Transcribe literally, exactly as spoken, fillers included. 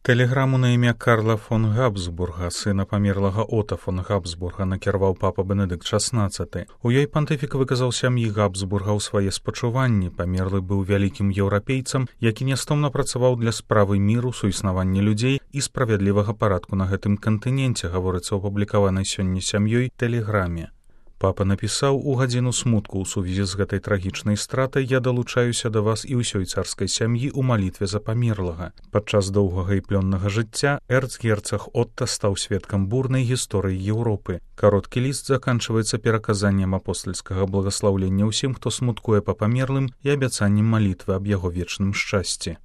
Тэлеграму на імя Карла фон Габсбурга, сына памерлага Ота фон Габсбурга, накіраваў папа Бенедыкт шаснаццаты. У ёй пантыфік выказаў сям'і Габсбургаў свае спачуванні. Памерлы быў вялікім еўрапейцам, які нястомна працаваў для справы міру, суіснавання людзей і справядлівага парадку на гэтым кантыненце, гаворыцца ў апублікаванай сёння сям'ёй тэлеграме. Папа напісаў: у гадзіну смутку ў сувязі з гэтай трагічнай стратай я далучаюся да вас і ўсёй царскай сям'і ў малітве за памерлага. Падчас доўгага і плённага жыцця эрцгерцаг Отта стаў сведкам бурнай гісторыі Еўропы. Кароткі ліст заканчваецца пераказаннем апостальскага благаслаўлення ўсім, хто смуткуе па памерлым, і абяцаннем малітвы аб яго вечным шчасці.